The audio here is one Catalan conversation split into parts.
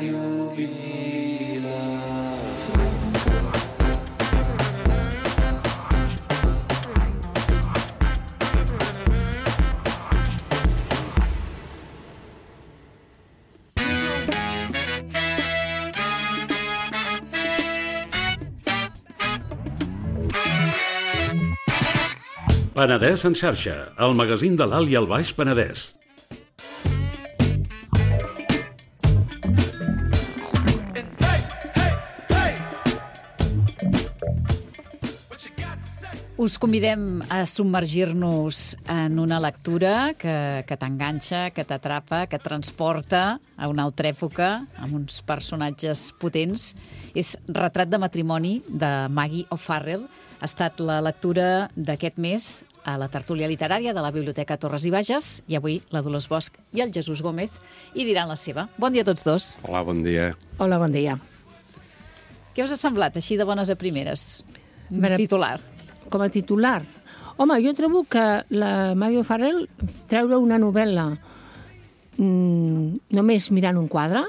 يبينا. Penedès en xarxa, el magazín de l'Alt i el Baix Penedès. Us convidem a submergir-nos en una lectura que t'enganxa, que t'atrapa, que et transporta a una altra època, amb uns personatges potents. És Retrat de matrimoni, de Maggie O'Farrell. Ha estat la lectura d'aquest mes a la tertúlia literària de la Biblioteca Torres i Bages, i avui la Dolors Bosch i el Jesús Gómez hi diran la seva. Bon dia a tots dos. Hola, bon dia. Hola, bon dia. Què us ha semblat, així de bones a primeres? Titular. Com a titular? Home, jo trobo que la Maggie O'Farrell treure una novel·la només mirant un quadre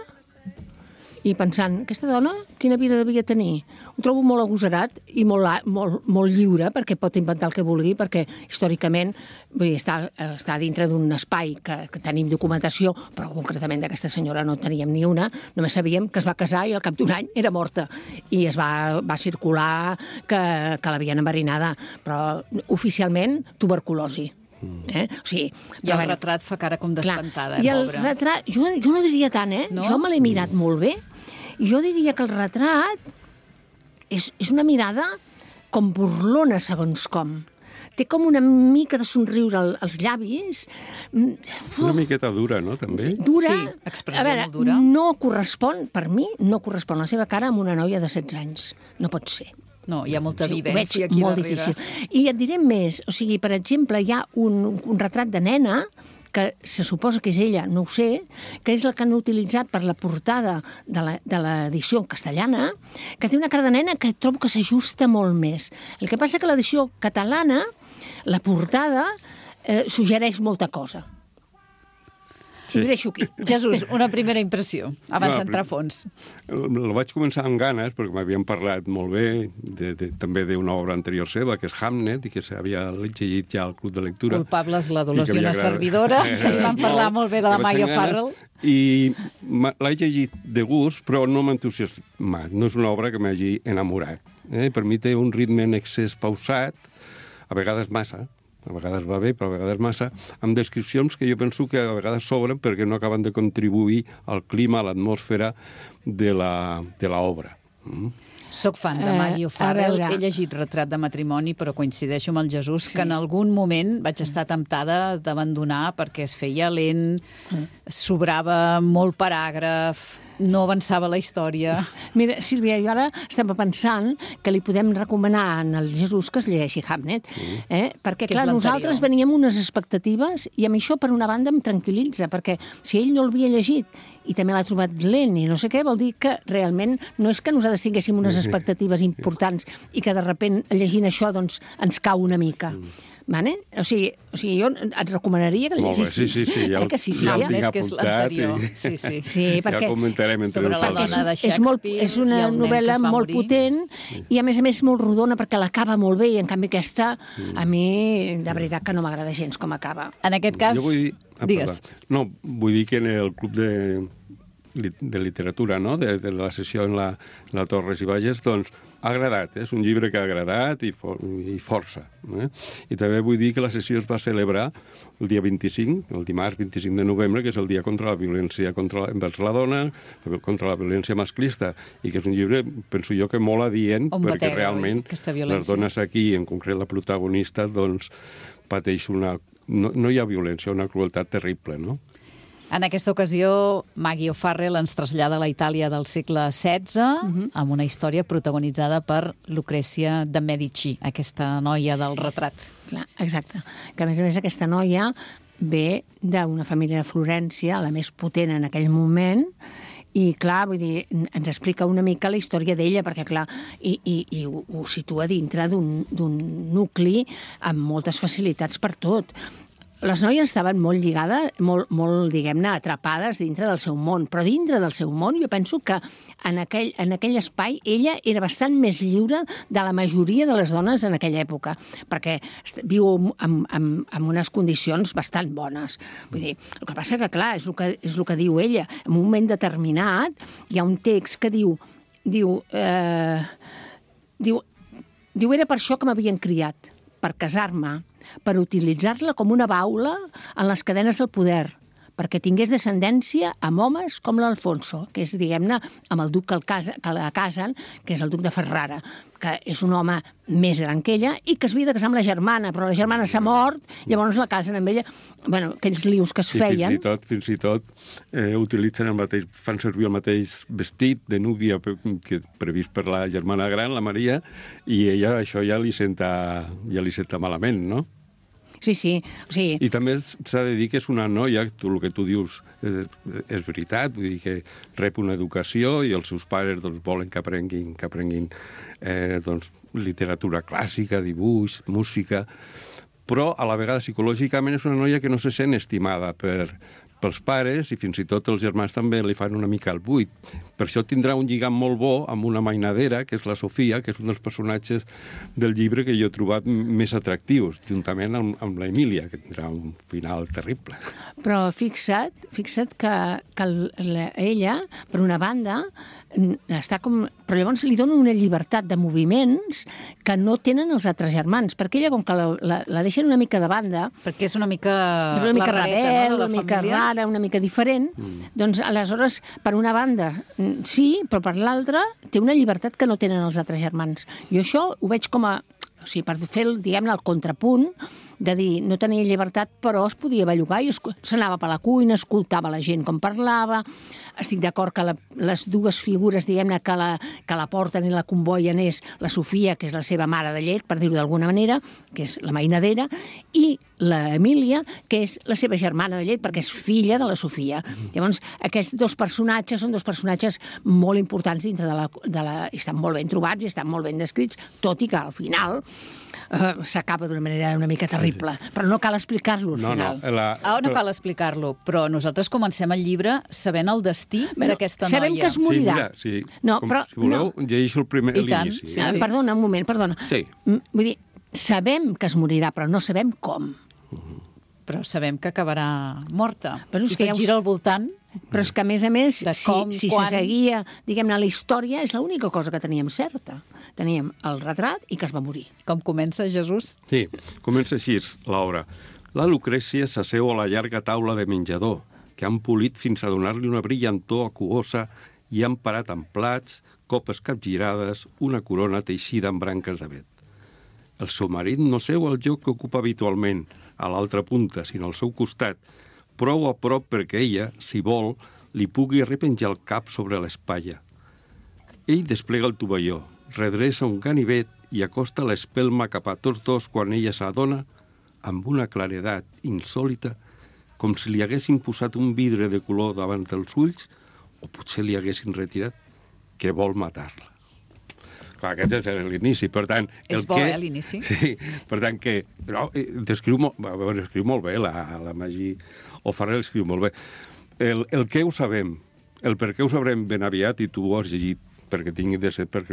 i pensant, aquesta dona, quina vida devia tenir? Ho trobo molt agosarat i molt lliure, perquè pot inventar el que vulgui, perquè històricament vull dir, està dintre d'un espai que tenim documentació, però concretament d'aquesta senyora no teníem ni una, només sabíem que es va casar i al cap d'un any era morta. I es va circular que l'havien enverinada, però oficialment tuberculosi. O sigui, i el retrat fa cara com d'espantada, i el retrat, jo no diria tant, no? Jo me l'he mirat molt bé. Jo diria que el retrat és una mirada com burlona, segons com. Té com una mica de somriure als llavis. Una miqueta dura, no, també? Dura. Sí, expressió molt dura. No correspon, per mi, no correspon la seva cara amb una noia de 16 anys. No pot ser. No, hi ha molta evidència aquí molt darrere. Difícil. I et diré més. O sigui, per exemple, hi ha un retrat de nena que se suposa que és ella, no ho sé, que és la que han utilitzat per la portada de l'edició castellana, que té una cara de nena que trobo que s'ajusta molt més. El que passa que l'edició catalana, la portada, suggereix molta cosa. Sí. I ho deixo aquí. Jesús, una primera impressió, abans d'entrar a fons. El vaig començar amb ganes, perquè m'havien parlat molt bé també d'una obra anterior seva, que és Hamnet, i que s'havia llegit ja al Club de Lectura. Culpables la Dolors i una servidora, que li van parlar molt bé de la Maggie O'Farrell. I l'he llegit de gust, però no m'ha entusiasmat. No és una obra que m'hagi enamorat. Per mi té un ritme en excés pausat, a vegades massa. A vegades va bé, però a vegades massa, amb descripcions que jo penso que a vegades sobren perquè no acaben de contribuir al clima, a l'atmosfera de l'obra. Soc fan de Maggie O'Farrell, he llegit Retrat de matrimoni, però coincideixo amb el Jesús que en algun moment vaig estar temptada d'abandonar perquè es feia lent, sobrava molt paràgraf, no avançava la història. Mira, Sílvia, jo ara estem pensant que li podem recomanar al Jesús que es llegeixi Hamnet, perquè, clar, nosaltres veníem unes expectatives i a mi això, per una banda, em tranquil·litza, perquè si ell no l'havia llegit i també l'ha trobat lent i no sé què, vol dir que realment no és que nosaltres tinguéssim unes expectatives importants i que de sobte llegint això doncs ens cau una mica. Vale? O sigui, jo et recomanaria que el llegissis. Sí, ja ho tinc apuntat. Sí, perquè ja comentarem entre nosaltres. És una novel·la molt potent i, a més, molt rodona, perquè l'acaba molt bé, i en canvi aquesta, a mi, de veritat que no m'agrada gens com acaba. En aquest cas, digues. No, vull dir que en el Club de Literatura, no?, de la sessió en la Torres i Bages, doncs, ha agradat, és un llibre que ha agradat i força. I també vull dir que la sessió es va celebrar el dia 25, el dimarts 25 de novembre, que és el dia contra la violència envers la dona, contra la violència masclista, i que és un llibre, penso jo, que molt adient, perquè realment les dones aquí, en concret la protagonista, doncs pateix no hi ha violència, una crueltat terrible, no? En aquesta ocasió, Maggie O'Farrell ens trasllada a la Itàlia del segle XVI amb una història protagonitzada per Lucrècia de Medici, aquesta noia del retrat. Clar, exacte. Que, a més, aquesta noia ve d'una família de Florència, la més potent en aquell moment, i, clar, vull dir, ens explica una mica la història d'ella, perquè, clar, i ho situa dintre d'un nucli amb moltes facilitats per tot. les noies estaven molt lligades, molt diguem-ne, atrapades dintre del seu món, però dintre del seu món jo penso que en aquell espai ella era bastant més lliure de la majoria de les dones en aquella època, perquè viu en unes condicions bastant bones. Vull dir, el que passa que, clar, és el que diu ella. En un moment determinat hi ha un text que diu era per això que m'havien criat, per casar-me, per utilitzar-la com una baula en les cadenes del poder, perquè tingués descendència amb homes com l'Alfonso, que és, diguem-ne, amb el duc que la casen, que és el duc de Ferrara, que és un home més gran que ella i que es havia de casar amb la germana, però la germana s'ha mort, llavors la casen amb ella. Bueno, aquells lius que es feien... Fins i tot utilitzen fan servir el mateix vestit de núvia que previst per la germana gran, la Maria, i ella això ja li senta malament, no? Sí. O sigui... I també s'ha de dir que és una noia, el que tu dius és veritat, vull dir que rep una educació i els seus pares volen que aprenguin literatura clàssica, dibuix, música, però a la vegada psicològicament és una noia que no se sent estimada pels pares i fins i tot els germans també li fan una mica el buit. Per això tindrà un lligam molt bo amb una mainadera, que és la Sofia, que és un dels personatges del llibre que jo he trobat més atractius, juntament amb la Emília, que tindrà un final terrible. Però fixa't que ella, per una banda, està com... Però llavors li donen una llibertat de moviments que no tenen els altres germans, perquè ella, com que la deixen una mica de banda... Perquè és una mica rebel, una mica rara, una mica diferent, doncs aleshores, per una banda, sí, però per l'altra té una llibertat que no tenen els altres germans. Jo això ho veig com a... O sigui, per fer, diguem-ne, el contrapunt de dir, no tenia llibertat, però es podia bellugar i s'anava per la cuina, escoltava la gent com parlava. Estic d'acord que les dues figures, diguem-ne, que la porten i la convoien és la Sofia, que és la seva mare de llet, per dir-ho d'alguna manera, que és la mainadera, i l'Emília, que és la seva germana de llet, perquè és filla de la Sofia. Llavors, aquests dos personatges són dos personatges molt importants dintre estan molt ben trobats i estan molt ben descrits, tot i que al final s'acaba d'una manera una mica terrible. Però no cal explicar-lo al final. No cal explicar-lo, però nosaltres comencem el llibre sabent el destí d'aquesta noia. Sabem que es morirà. Sí, mira, si voleu, llegeixo l'inici. Sí. Perdona, un moment, perdona. Sí. Vull dir, sabem que es morirà, però no sabem com. Però sabem que acabarà morta. Però I tot gira al voltant. Però és que, a més, si quan... se seguia, diguem-ne, la història, és l'única cosa que teníem certa. Teníem el retrat i que es va morir. Com comença, Jesús? Sí, comença així l'obra. La Lucrècia s'asseu a la llarga taula de menjador, que han polit fins a donar-li una brillantor aquosa i han parat amb plats, copes capgirades, una corona teixida amb branques d'avet. El seu marit no seu al lloc que ocupa habitualment, a l'altra punta, sinó al seu costat, prou a prop perquè ella, si vol, li pugui repenjar el cap sobre l'espatlla. Ell desplega el tovalló, redreça un ganivet i acosta l'espelma cap a tots dos quan ella s'adona, amb una claredat insòlita, com si li haguessin posat un vidre de color davant dels ulls o potser li haguessin retirat que vol matar-la. Clar, aquest és l'inici, per tant... És bo, l'inici? Sí, per tant que... Però escriu molt bé, la Magí O'Farrell escriu molt bé. El què ho sabem, el per què ho sabrem ben aviat, i tu ho has llegit perquè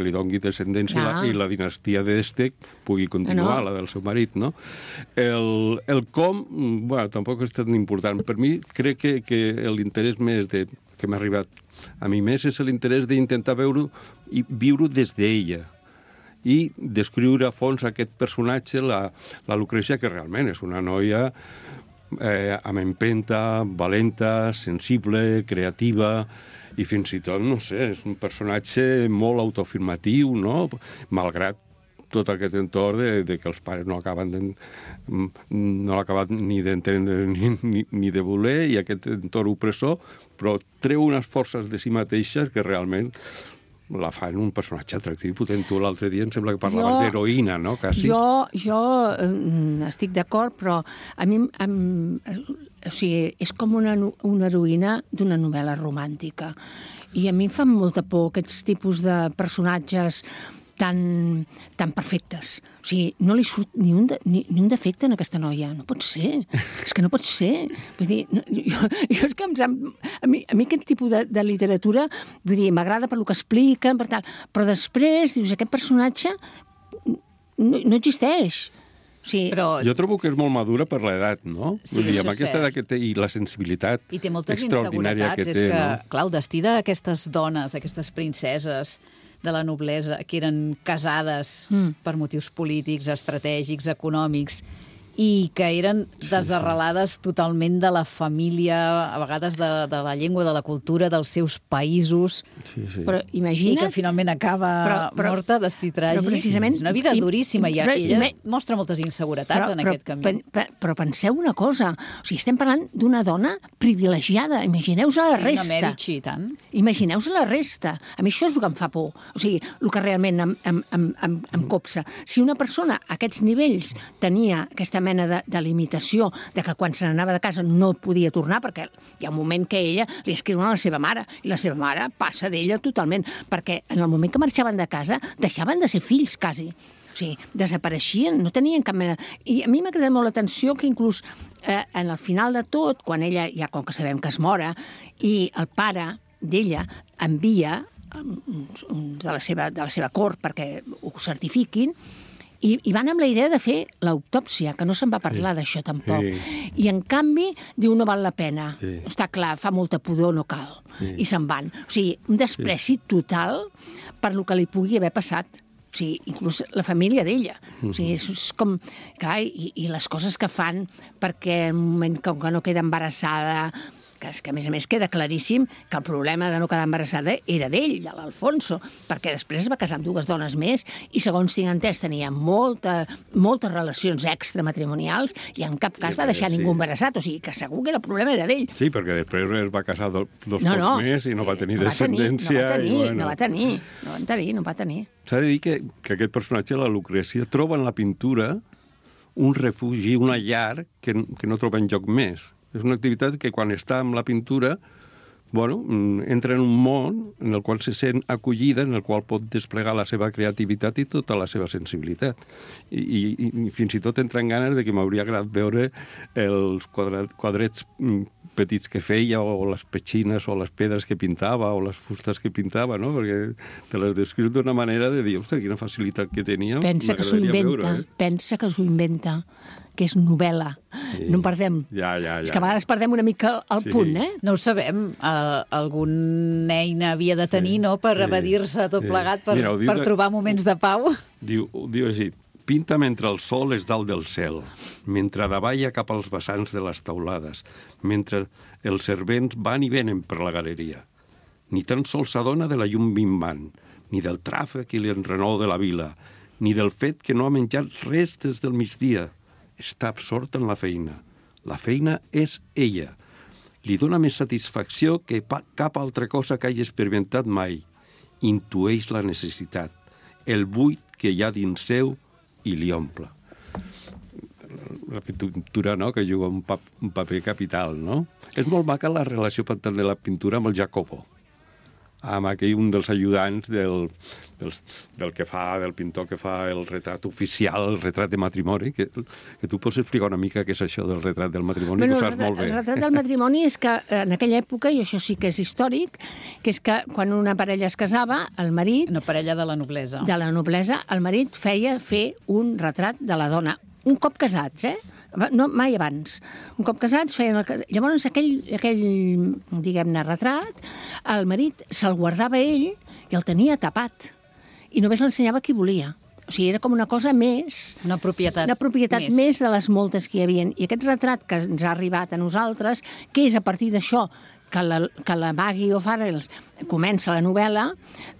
li dongui descendència i la dinastia d'Este pugui continuar, la del seu marit, no? El com, bueno, tampoc és tan important. Per mi, crec que l'interès més que m'ha arribat a mi més és l'interès d'intentar veure i viure des d'ella i descriure a fons aquest personatge, la Lucrècia, que realment és una noia amb empenta, valenta, sensible, creativa, i fins i tot, no sé, és un personatge molt autoafirmatiu, no? Malgrat tot aquest entorn de que els pares no l'acaben ni d'entendre ni de voler, i aquest entorn opressor, però treu unes forces de si mateixa que realment la fan un personatge atractiu i potent. Tu l'altre dia em sembla que parlaves d'heroïna, no? Quasi. Jo estic d'acord, però a mi o sigui, és com una heroïna d'una novel·la romàntica. I a mi em fan molta por aquests tipus de personatges tan perfectes. O sigui, no li surt ni un defecte en aquesta noia. No pot ser. És que no pot ser. Vull dir, jo és que a mi aquest tipus de literatura, vull dir, m'agrada per lo que expliquen, per tal, però després dius, aquest personatge no existeix. Sí. Però... Jo trobo que és molt madura per l'edat, no? Sí, vull dir, això amb aquesta és edat que té i la sensibilitat I té moltes extraordinària que inseguretats. té, És que, no? clar, el destí d'aquestes dones, d'aquestes princeses de la noblesa, que eren casades per motius polítics, estratègics, econòmics, i que eren desarrelades totalment de la família, a vegades de la llengua, de la cultura, dels seus països, Sí, sí. Però i imagina't... que finalment acaba morta, destí tràgic. precisament- És una vida duríssima, i ella i- mostra moltes inseguretats en aquest camí. Però penseu una cosa, o sigui, estem parlant d'una dona privilegiada, imagineu-vos la Sí, resta. una Medici, i tant. Imagineu-vos la resta. A mi això és el que em fa por. O sigui, el que realment em copsa. Si una persona a aquests nivells tenia aquesta mena de limitació, de que quan se n'anava de casa no podia tornar, perquè hi ha un moment que ella li escriuen a la seva mare, i la seva mare passa d'ella totalment, perquè en el moment que marxaven de casa deixaven de ser fills, quasi. O sigui, desapareixien, no tenien cap mena... I a mi m'ha cridat molt l'atenció que inclús en el final de tot, quan ella, ja com que sabem que es mora, i el pare d'ella envia de la seva cort perquè ho certifiquin, i van amb la idea de fer l'autòpsia, que no se'n va parlar d'això tampoc. Sí. I en canvi diu no val la pena. Sí. Està clar, fa molta pudor, no cal. I se'n van. O sigui, un despreci total per lo que li pugui haver passat. O sigui, inclús la família d'ella. O sigui, és com... Clar, i les coses que fan perquè en un moment que no queda embarassada... que és que, a més, queda claríssim que el problema de no quedar embarassada era d'ell, de l'Alfonso, perquè després es va casar amb 2 dones més i, segons tinc entès, tenia moltes relacions extramatrimonials i en cap cas va deixar ningú embarassat. O sigui, que segur que el problema era d'ell. Sí, perquè després es va casar dos cops més i no va tenir descendència. No va tenir. S'ha de dir que aquest personatge, la Lucrècia, troba en la pintura un refugi, una llar que no troba enlloc més. És una activitat que quan està amb la pintura, entra en un món en el qual se sent acollida, en el qual pot desplegar la seva creativitat i tota la seva sensibilitat. I fins i tot entra en ganes de que m'hauria agradat veure els quadrets petits que feia, o les petxines, o les pedres que pintava, o les fustes que pintava, no? Perquè te les descrius d'una manera de dir, ostres, quina facilitat que tenia. Pensa que s'ho inventa, que és novel·la. Sí. No en perdem. Ja. És que a vegades perdem una mica el punt, eh? No ho sabem. Alguna eina havia de tenir, no?, per evadir-se tot plegat, per trobar moments de pau. Diu així: pinta mentre el sol és dalt del cel, mentre davalla cap als vessants de les taulades, mentre els servents van i venen per la galeria. Ni tan sols s'adona de la llum minvant, ni del tràfic i l'enrenou de la vila, ni del fet que no ha menjat res des del migdia. Està absort en la feina. La feina és ella. Li dona més satisfacció que cap altra cosa que hagi experimentat mai. Intueix la necessitat, el buit que hi ha dins seu i li omple. La pintura, no?, que juga un paper capital, no? És molt maca la relació de la pintura amb el Jacopo, amb aquell un dels ajudants del pintor que fa el retrat oficial, el retrat de matrimoni, que tu pots explicar una mica què és això del retrat del matrimoni, que ho saps molt bé. El retrat del matrimoni és que en aquella època, i això sí que és històric, que és que quan una parella es casava, el marit... Una parella de la noblesa. De la noblesa, el marit feia fer un retrat de la dona. Un cop casats, no, mai abans. Un cop casats feien... Llavors, aquell diguem-ne, retrat, el marit se'l guardava ell i el tenia tapat. I només l'ensenyava qui volia. O sigui, era com una cosa més... Una propietat més de les moltes que hi havia. I aquest retrat que ens ha arribat a nosaltres, que és a partir d'això que la Maggie O'Farrell comença la novel·la,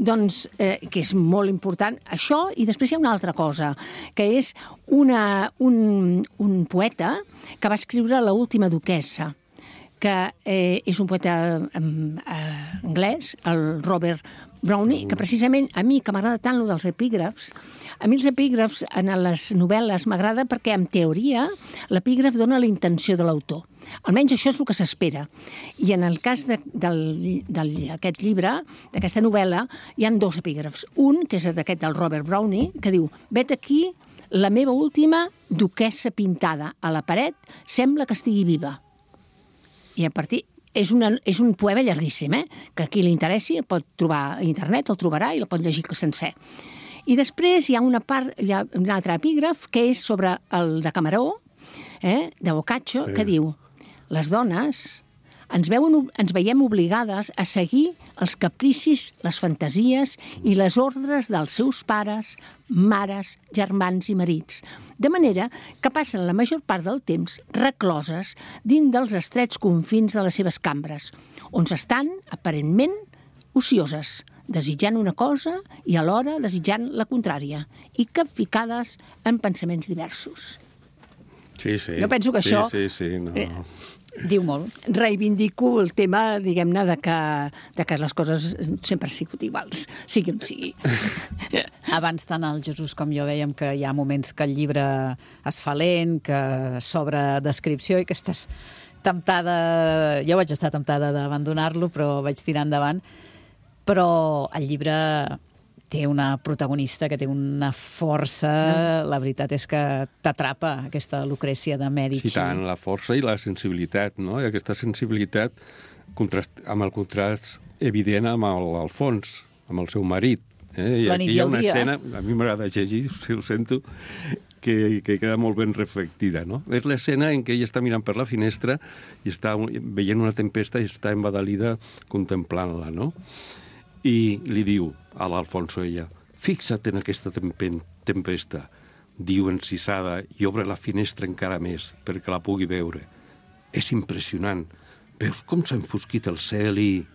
doncs, que és molt important, això, i després hi ha una altra cosa, que és un poeta que va escriure L'última duquessa, que és un poeta anglès, el Robert Browning, que precisament a mi, que m'agrada tant lo dels epígrafs, a mi els epígrafs en les novel·les m'agrada perquè, en teoria, l'epígraf dona la intenció de l'autor. Almenys això és el que s'espera. I en el cas d'aquest llibre, d'aquesta novel·la, hi han 2 epígrafs. Un, que és d'aquest del Robert Browning, que diu: vet aquí la meva última duquessa pintada a la paret, sembla que estigui viva. I a partir... És un poema llarguíssim, que a qui li interessi el pot trobar a internet, el trobarà i el pot llegir sencer. I després hi ha un altre epígraf que és sobre el de Camaró, de Boccaccio, que diu: les dones ens veiem obligades a seguir els capricis, les fantasies i les ordres dels seus pares, mares, germans i marits, de manera que passen la major part del temps recloses dins dels estrets confins de les seves cambres, on estan, aparentment, ocioses, desitjant una cosa i alhora desitjant la contrària, i capficades en pensaments diversos. Sí, sí. Jo penso que això... Sí, no. Diu molt. Reivindico el tema, diguem-ne, de que les coses sempre han sigut iguals, sigui on sigui. Abans tant el Jesús com jo dèiem que hi ha moments que el llibre es fa lent, que s'obre descripció i que estàs temptada... Jo vaig estar temptada d'abandonar-lo, però vaig tirar endavant. Però el llibre té una protagonista que té una força, la veritat és que t'atrapa aquesta Lucrècia de Mèdici. Sí, tant, la força i la sensibilitat, no? I aquesta sensibilitat amb el contrast evident amb l'Alfons, amb el seu marit. I la nit aquí hi ha i el una dia. escena, a mi m'agrada llegir, si ho sento, que queda molt ben reflectida, no? És l'escena en què ella està mirant per la finestra i està veient una tempesta i està embadalida contemplant-la, no? I li diu a l'Alfonso ella: fixa't en aquesta tempesta, diu encisada, i obre la finestra encara més perquè la pugui veure. És impressionant. Veus com s'ha enfosquit el cel i...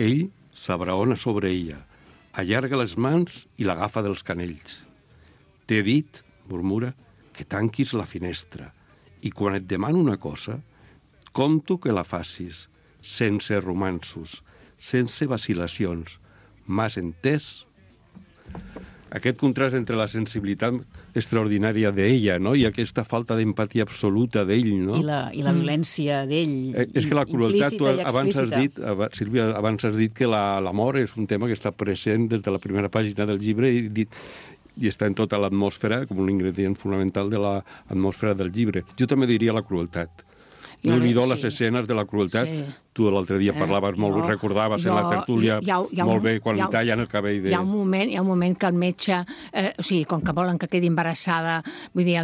Ell s'abraona sobre ella, allarga les mans i l'agafa dels canells. T'he dit, murmura, que tanquis la finestra, i quan et demano una cosa, compto que la facis, sense romanços, sense vacil·lacions. M'has entès? Aquest contrast entre la sensibilitat extraordinària d'ella, no?, i aquesta falta d'empatia absoluta d'ell, no? I la violència d'ell, és que la crueltat, tu abans has dit, Sílvia, abans has dit que l'amor és un tema que està present des de la primera pàgina del llibre i està en tota l'atmosfera, com un ingredient fonamental de l'atmosfera del llibre. Jo també diria la crueltat. No li do les escenes de la crueltat. Sí. Tu l'altre dia parlaves molt, recordaves en la tertúlia molt bé quan li tallen el cabell de... Hi ha un moment que el metge, o sigui, com que volen que quedi embarassada, vull dir,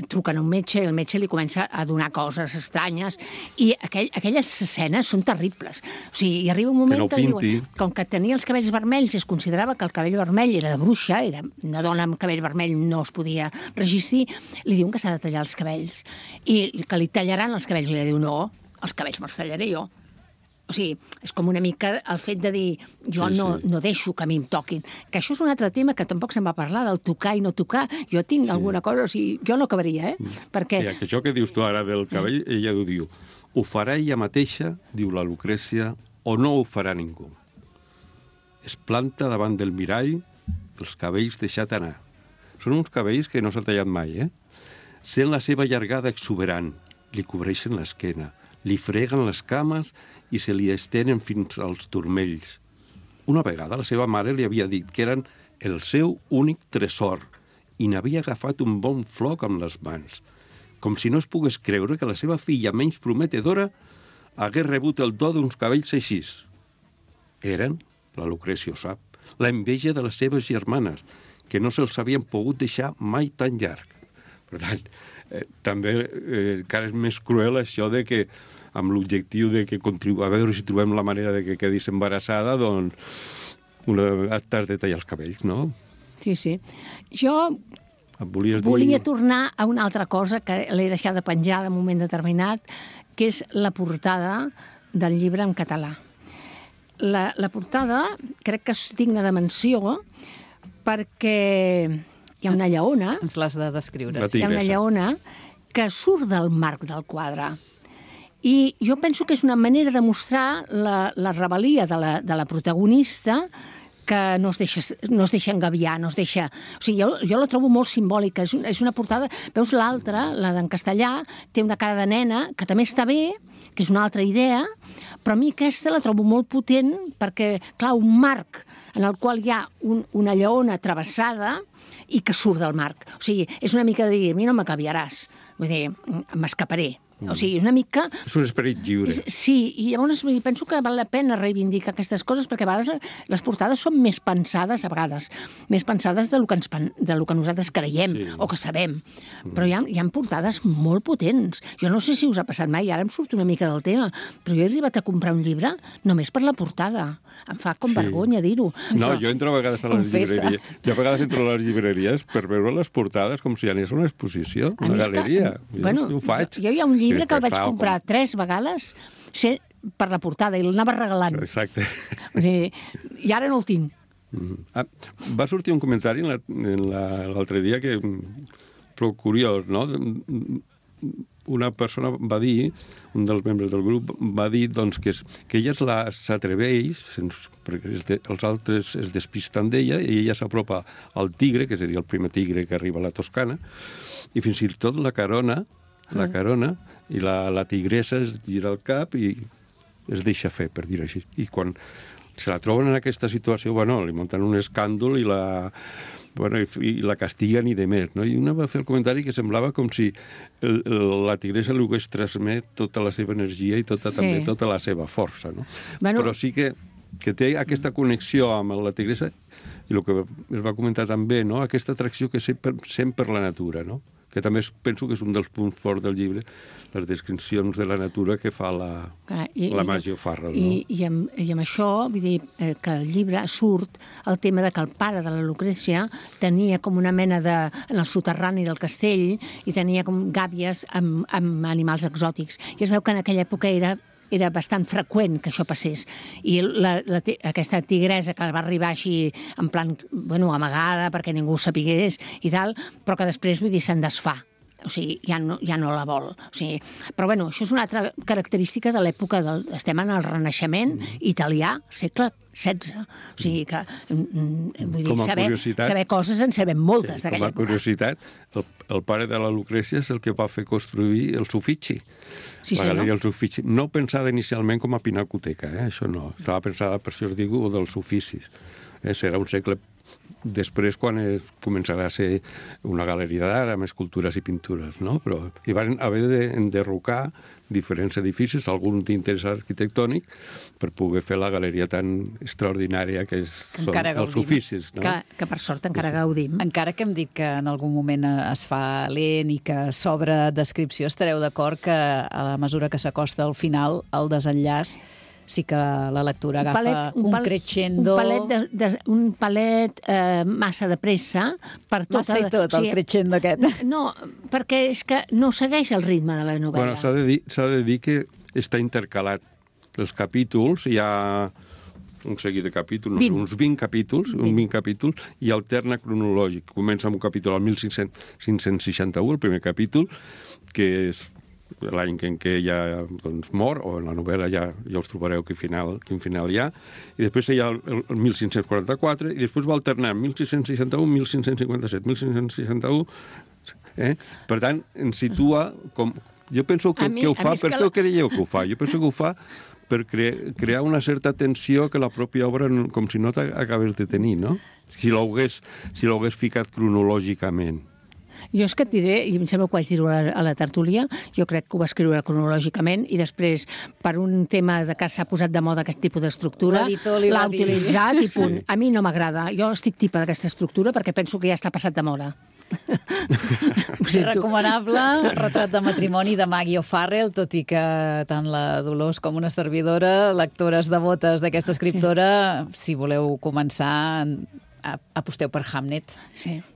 truquen a un metge i el metge li comença a donar coses estranyes i aquelles escenes són terribles. O sigui, hi arriba un moment que diuen, com que tenia els cabells vermells i es considerava que el cabell vermell era de bruixa, era una dona amb cabell vermell no es podia resistir, li diuen que s'ha de tallar els cabells i que li tallaran els cabells i li diu no, els cabells me'ls tallaré jo. O sigui, és com una mica el fet de dir jo no deixo que a mi em toquin. Que això és un altre tema que tampoc se'n va parlar, del tocar i no tocar. Jo tinc alguna cosa, o sigui, jo no acabaria, perquè... Sí, això que dius tu ara del cabell, ella ho diu. Ho farà ella mateixa, diu la Lucrècia, o no ho farà ningú. Es planta davant del mirall, els cabells deixat anar. Són uns cabells que no s'ha tallat mai, Sent la seva llargada exuberant, li cobreixen l'esquena, li freguen les cames i se li estenen fins als turmells. Una vegada la seva mare li havia dit que eren el seu únic tresor i n'havia agafat un bon floc amb les mans, com si no es pogués creure que la seva filla menys prometedora hagués rebut el do d'uns cabells així. Eren, la Lucrècia ho sap, la enveja de les seves germanes, que no se'ls havien pogut deixar mai tan llarg. Per tant, també encara és més cruel això de que amb l'objectiu de que a veure si trobem la manera de que quedis embarassada, doncs t'has de tallar els cabells, no? Sí, sí. Jo volia tornar a una altra cosa que l'he deixat de penjar en un moment determinat, que és la portada del llibre en català. La portada crec que és digna de menció perquè hi ha una lleona... Ens l'has de descriure. Hi ha una lleona que surt del marc del quadre I jo penso que és una manera de mostrar la rebel·lia de la protagonista, que no es deixa engabiar, no es deixa... O sigui, jo la trobo molt simbòlica, és una portada... Veus l'altra, la d'en Castellà, té una cara de nena, que també està bé, que és una altra idea, però a mi aquesta la trobo molt potent perquè, clar, un marc en el qual hi ha una lleona travessada i que surt del marc. O sigui, és una mica de dir, a mi no m'acabiaràs, vull dir, m'escaparé. O sigui, és una mica... És un esperit lliure. Sí, i llavors penso que val la pena reivindicar aquestes coses perquè a vegades les portades són més pensades, a vegades, més pensades del que nosaltres creiem o que sabem. Però hi ha portades molt potents. Jo no sé si us ha passat mai, ara em surt una mica del tema, però jo he arribat a comprar un llibre només per la portada. Em fa com vergonya dir-ho. No, jo entro a vegades a les llibreries. Jo a vegades entro a les llibreries per veure les portades com si anés a una exposició, una galeria. Jo ho faig. Jo hi ha un llibre que el vaig comprar 3 vegades per la portada i l'anava regalant. Exacte. O sigui, i ara no el tinc. Va sortir un comentari l'altre dia que prou curiós, no? Una persona va dir, un dels membres del grup, va dir doncs, que ella s'atreveix, perquè els altres es despisten d'ella, i ella s'apropa al tigre, que seria el primer tigre que arriba a la Toscana, i fins i tot la carona, i la tigressa es gira el cap i es deixa fer, per dir-ho així. I quan se la troben en aquesta situació, li munten un escàndol i la castiguen i de més. No? I una va fer el comentari que semblava com si la tigressa li hagués transmet tota la seva energia i també tota la seva força. No? Però sí que té aquesta connexió amb la tigressa i el que es va comentar també, no? Aquesta atracció que sent per la natura, no? Que també penso que és un dels punts forts del llibre, les descripcions de la natura que fa la Maggie O'Farrell. No? I amb això, vull dir, que el llibre surt el tema de que el pare de la Lucrècia tenia com una mena en el soterrani del castell i tenia com gàbies amb animals exòtics. I es veu que en aquella època era bastant freqüent que això passés. I aquesta tigresa que va arribar així en plan, amagada perquè ningú ho sapigués i tal, però que després, vull dir, se'n desfà. O sigui, ja no la vol. O sigui, però això és una altra característica de l'època estem en el Renaixement italià, segle XVI. O sigui que, vull dir, saber coses en sabem moltes d'aquella època. Com a curiositat, el pare de la Lucrècia és el que va fer construir el Uffizi. La galeria dels Uffizi. No pensada inicialment com a pinacoteca, això no. Estava pensada, per això us dic, dels oficis. Serà un segle després quan començarà a ser una galeria d'art amb escultures i pintures, no? Però hi van haver d'enderrocar diferents edificis, algun d'interès arquitectònic, per poder fer la galeria tan extraordinària que són els oficis. No? Que per sort encara gaudim. Encara que hem dit que en algun moment es fa lent i que s'obre descripció, estareu d'acord que a la mesura que s'acosta al final, el desenllaç, sí que la lectura agafa un crescendo... Un palet massa de pressa per tot... Massa i tot, el crescendo aquest. No, perquè és que no segueix el ritme de la novel·la. S'ha de dir que està intercalat. Els capítols, hi ha un seguit de capítols, uns 20 capítols, i alterna cronològic. Comença amb un capítol al 1561, el primer capítol, que és l'any en què ja mor, o en la novel·la ja us trobareu quin final hi ha, i després hi ha el 1544, i després va alternar 1661, 1557, 1561... Per tant, ens situa com... Jo penso que ho fa, per què ho creieu que ho fa? Jo penso que ho fa per crear una certa tensió que la pròpia obra com si no t'acabés de tenir, no? Si l'hagués ficat cronològicament. Jo és que et diré, i em sembla que ho vaig dir-ho a la tertúlia, jo crec que ho va escriure cronològicament i després, per un tema de que s'ha posat de moda aquest tipus d'estructura, l'ha utilitzat i punt. A mi no m'agrada. Jo estic tipa d'aquesta estructura perquè penso que ja està passat de moda. Recomanable, retrat de matrimoni de Maggie O'Farrell, tot i que tant la Dolors com una servidora, lectores devotes d'aquesta escriptora, si voleu començar, aposteu per Hamnet,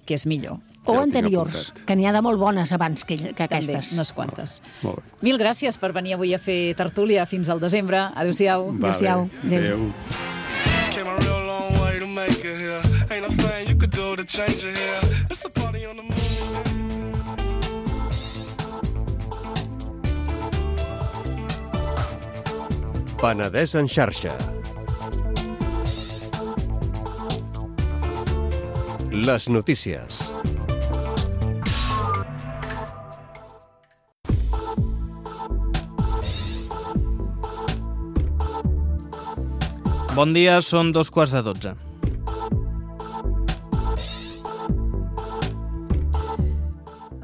que és millor. O anteriors, que n'hi ha de molt bones abans que aquestes. També, unes quantes. Mil gràcies per venir avui a fer tertúlia. Fins al desembre. Adéu-siau. Adéu-siau. Adéu. Penedès en xarxa. Les notícies. Bon dia, són 2:15.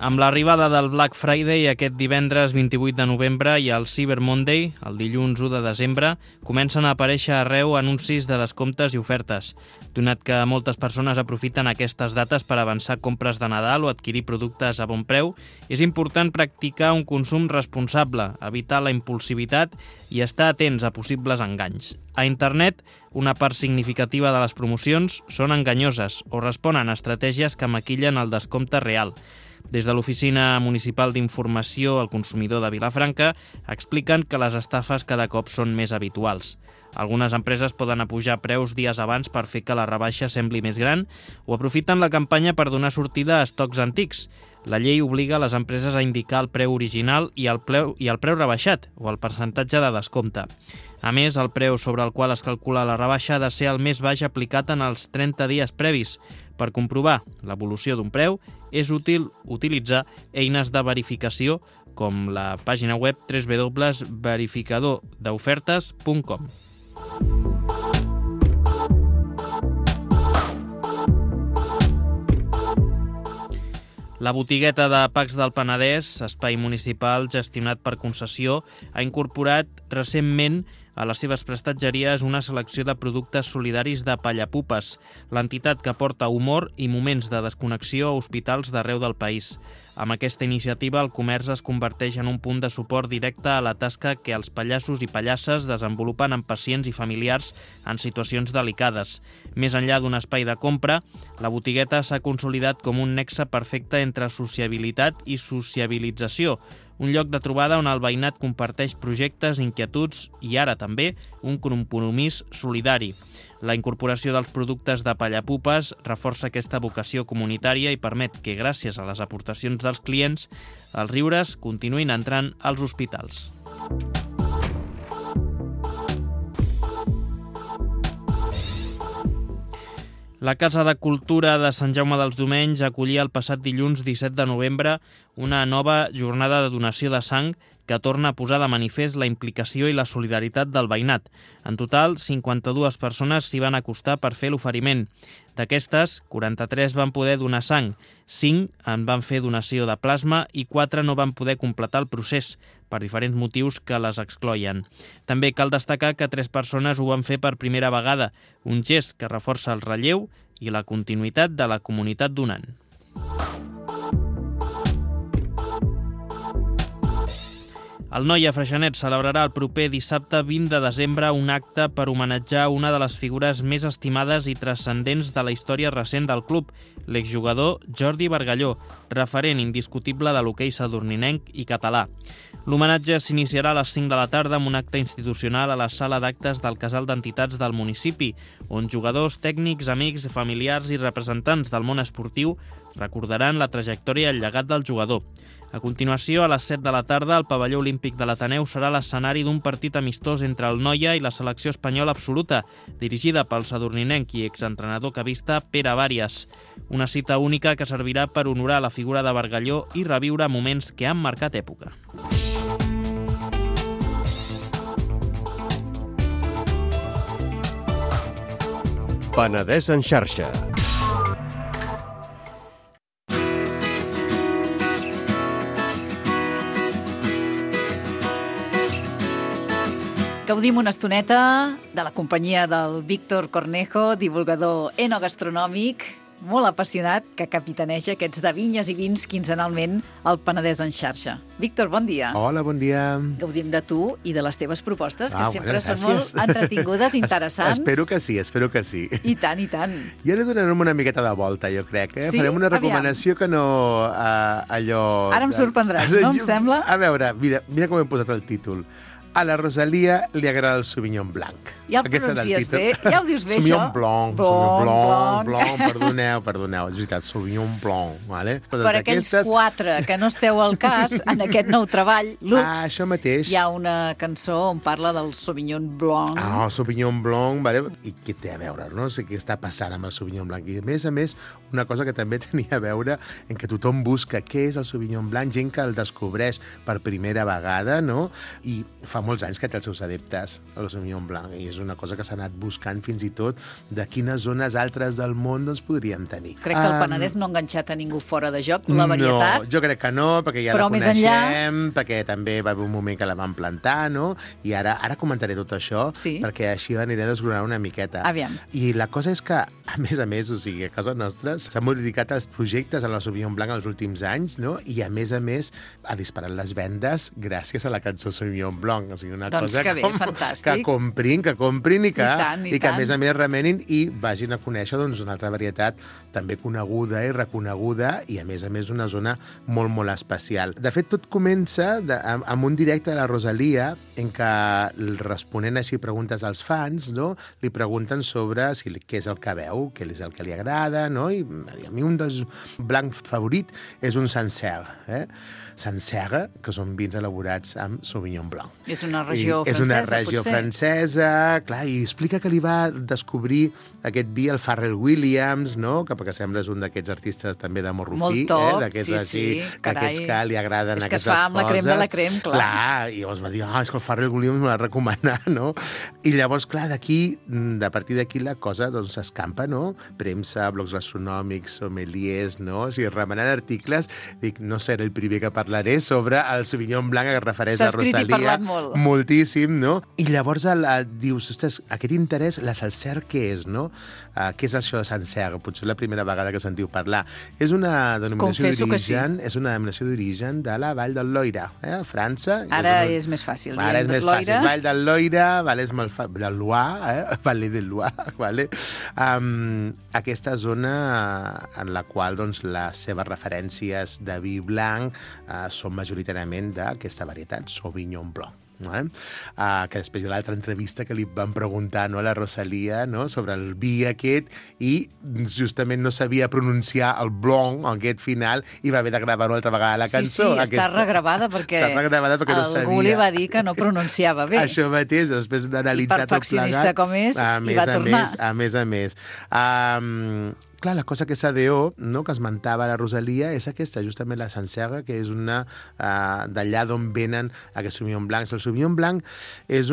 Amb l'arribada del Black Friday aquest divendres 28 de novembre i el Cyber Monday, el dilluns 1 de desembre, comencen a aparèixer arreu anuncis de descomptes i ofertes. Donat que moltes persones aprofiten aquestes dates per avançar compres de Nadal o adquirir productes a bon preu, és important practicar un consum responsable, evitar la impulsivitat i estar atents a possibles enganys. A internet, una part significativa de les promocions són enganyoses o responen a estratègies que maquillen el descompte real. Des de l'Oficina Municipal d'Informació al Consumidor de Vilafranca expliquen que les estafes cada cop són més habituals. Algunes empreses poden apujar preus dies abans per fer que la rebaixa sembli més gran o aprofiten la campanya per donar sortida a estocs antics. La llei obliga les empreses a indicar el preu original i el preu rebaixat o el percentatge de descompte. A més, el preu sobre el qual es calcula la rebaixa ha de ser el més baix aplicat en els 30 dies previs. Per comprovar l'evolució d'un preu, és útil utilitzar eines de verificació com la pàgina web www.verificadordofertes.com. La botigueta de Pacs del Penedès, espai municipal gestionat per concessió, ha incorporat recentment a les seves prestatgeries una selecció de productes solidaris de Pallapupes, l'entitat que porta humor i moments de desconnexió a hospitals d'arreu del país. Amb aquesta iniciativa, el comerç es converteix en un punt de suport directe a la tasca que els pallassos i pallasses desenvolupen amb pacients i familiars en situacions delicades. Més enllà d'un espai de compra, la botigueta s'ha consolidat com un nexe perfecte entre sociabilitat i sociabilització, un lloc de trobada on el veïnat comparteix projectes, inquietuds i ara també un compromís solidari. La incorporació dels productes de Pallapupes reforça aquesta vocació comunitària i permet que, gràcies a les aportacions dels clients, els riures continuïn entrant als hospitals. La Casa de Cultura de Sant Jaume dels Domenys acollia el passat dilluns 17 de novembre una nova jornada de donació de sang que torna a posar de manifest la implicació i la solidaritat del veïnat. En total, 52 persones s'hi van acostar per fer l'oferiment. D'aquestes, 43 van poder donar sang, 5 en van fer donació de plasma i 4 no van poder completar el procés, per diferents motius que les excloïen. També cal destacar que 3 persones ho van fer per primera vegada, un gest que reforça el relleu i la continuïtat de la comunitat donant. El Noia Freixenet celebrarà el proper dissabte 20 de desembre un acte per homenatjar una de les figures més estimades i transcendents de la història recent del club, l'exjugador Jordi Bargalló, referent indiscutible de l'hoquei sadurninenc i català. L'homenatge s'iniciarà a les 5 de la tarda amb un acte institucional a la sala d'actes del Casal d'Entitats del municipi, on jugadors, tècnics, amics, familiars i representants del món esportiu recordaran la trajectòria i el llegat del jugador. A continuació, a les 7 de la tarda, el pavelló olímpic de l'Ateneu serà l'escenari d'un partit amistós entre el Noia i la selecció espanyola absoluta, dirigida pel sadurninenc i exentrenador cavista Pere Bàries. Una cita única que servirà per honorar la figura de Bargalló i reviure moments que han marcat època. Penedès en xarxa. Gaudim una estoneta de la companyia del Víctor Cornejo, divulgador enogastronòmic, molt apassionat, que capitaneja aquests de vinyes i vins quinzenalment al Penedès en xarxa. Víctor, bon dia. Hola, bon dia. Gaudim de tu i de les teves propostes, que sempre són molt entretingudes, interessants. Espero que sí, espero que sí. I tant, i tant. I ara donarem una miqueta de volta, jo crec. Sí? Farem una recomanació que no allò... Ara em sorprendràs, no? Em sembla? A veure, mira com hem posat el títol. A la Rosalia li agrada el Sauvignon Blanc. Ja el Aquest serà pronuncies títol. bé? Ja ho dius bé, Sauvignon això? Blanc, Sauvignon Blanc, perdoneu, és veritat, Sauvignon Blanc, vale? Per aquells 4 que no esteu al cas, en aquest nou treball, Lux, això mateix. hi ha una cançó on parla del Sauvignon Blanc. Sauvignon Blanc, vale? I què té a veure, no? O sigui, què està passant amb el Sauvignon Blanc? I a més, una cosa que també tenia a veure en què tothom busca què és el Sauvignon Blanc, gent que el descobreix per primera vegada, no? I fa molts anys que té els seus adeptes, el Sauvignon Blanc, i és una cosa que s'ha anat buscant fins i tot de quines zones altres del món doncs, podríem tenir. Crec que el Penedès no ha enganxat a ningú fora de joc, la varietat. No, jo crec que no, perquè ja però la més coneixem, perquè també va haver un moment que la van plantar, no? I ara comentaré tot això, perquè així aniré desgranant una miqueta. Aviam. I la cosa és que, a més, o sigui, a casa nostra s'han modificat els projectes en la Sauvignon Blanc els últims anys, no? I a més, ha disparat les vendes gràcies a la cançó Sauvignon Blanc. O sigui, una cosa que bé, fantàstic. Que comprin i que, I que a més remenin i vagin a conèixer doncs, una altra varietat també coneguda i reconeguda i a més una zona molt, molt especial. De fet, tot comença amb un directe de la Rosalia en què, responent així preguntes als fans, no? Li pregunten sobre què és el que veu, què és el que li agrada, no? I a mi un dels blancs favorits és un Sancerre, Sancerre, que són vins elaborats amb Sauvignon Blanc. És una regió francesa, És una regió francesa, clar, i explica que li va descobrir aquest vi el Pharrell Williams, no? Que sembla és un d'aquests artistes també de morrofí. Molt top, d'aquests carai. que li agraden aquestes coses. És que es fa amb la crem de la crem, clar. Clar, i llavors va dir, és que el Pharrell Williams me l'ha recomanat, no? I llavors, clar, a partir d'aquí la cosa doncs s'escampa, no? Premsa, blocs gastronòmics, sommeliers, no? O sigui, remenant articles, dic, no seré el primer que parlaré sobre el Sauvignon Blanc que es refereix a Rosalia. S'ha escrit i parlat molt. Moltíssim, no? I llavors dius, ostres, aquest interès, la Sancerre, què és, no? Què és això de Sancerre? Potser la primera vegada que sentiu parlar. És una denominació d'origen de la Vall del Loira, a França. Ara és més fàcil. Ara és més fàcil. Vall del Loira, és molt fàcil. Del Loire, Vallée del Loire, vale? Aquesta zona en la qual doncs, les seves referències de vi blanc són majoritàriament d'aquesta varietat, Sauvignon Blanc. Que després de l'altra entrevista que li van preguntar a la Rosalia sobre el vi aquest i justament no sabia pronunciar el blanc, aquest final, i va haver de gravar una altra vegada la cançó. Sí, està regravada perquè algú li va dir que no pronunciava bé. Això mateix, després d'analitzar tot plegat. I perfeccionista com és, i va tornar. A més. Clar, la cosa que s'adeo, no, que esmentava la Rosalia, és aquesta, justament la Sancerre, que és una d'allà d'on venen aquests Sauvignon Blancs. El Sauvignon Blanc és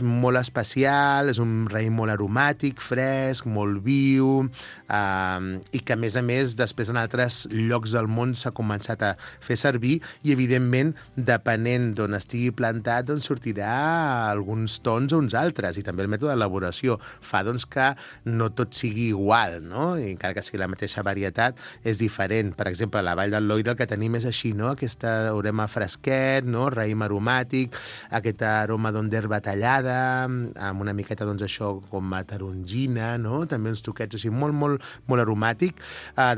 molt especial, és un raïm molt aromàtic, fresc, molt viu, i que, a més, després en altres llocs del món s'ha començat a fer servir i, evidentment, depenent d'on estigui plantat, doncs sortirà alguns tons o uns altres, i també el mètode d'elaboració fa doncs, que no tot sigui igual, no? I encara que sigui la mateixa varietat, és diferent. Per exemple, a la Vall del Loira el que tenim és així, no? Aquesta aroma fresquet, no? Raïm aromàtic, aquest aroma d'herba tallada, amb una miqueta, doncs, això com a tarongina, no? També uns toquets així molt aromàtic.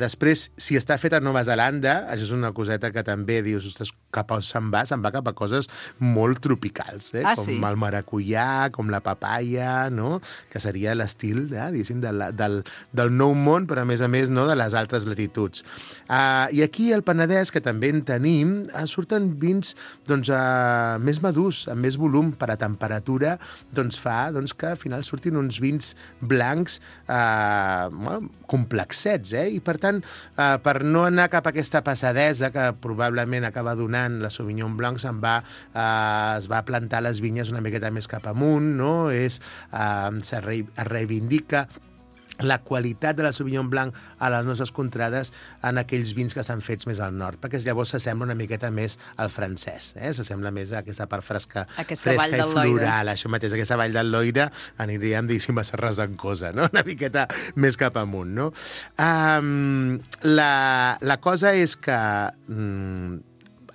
Després, si està fet a Nova Zelanda, això és una coseta que també dius, ostres, cap on se'n va cap a coses molt tropicals, com el maracuyà, com la papaya, no? Que seria l'estil, diguéssim, del nou món, però a més, no, de les altres latituds. I aquí al Penedès, que també en tenim, surten vins doncs, més madurs, amb més volum per a temperatura, doncs fa que al final surtin uns vins blancs complexets, i per tant, per no anar cap a aquesta passadesa que probablement acaba donant la Sauvignon Blanc, es va plantar les vinyes una miqueta més cap amunt, no? Es reivindica la qualitat de la Sauvignon Blanc a les nostres contrades en aquells vins que s'han fets més al nord, perquè llavors s'assembla una miqueta més al francès, s'assembla més a aquesta part fresca i floral, això mateix, aquesta Vall del Loira aniríem, diguéssim, a Serres d'en Cosa, no? Una miqueta més cap amunt, no? La cosa és que